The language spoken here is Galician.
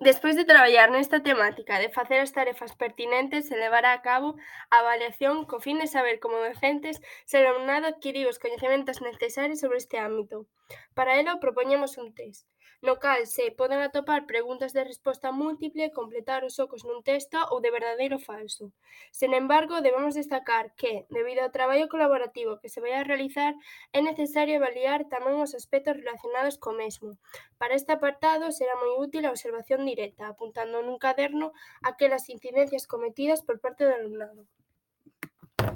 Despois de traballar nesta temática de facer as tarefas pertinentes, se levará a cabo a avaliación co fin de saber como docentes se o alumnado adquiriu os coñecementos necesarios sobre este ámbito. Para elo propoñemos un test, no cal se poden atopar preguntas de resposta múltiple, completar os ocos nun texto ou de verdadeiro ou falso. Sen embargo, debemos destacar que, debido ao traballo colaborativo que se vai a realizar, é necesario avaliar tamén os aspectos relacionados co mesmo. Para este apartado será moi útil a observación directa, apuntando nun caderno aquelas incidencias cometidas por parte do alumnado.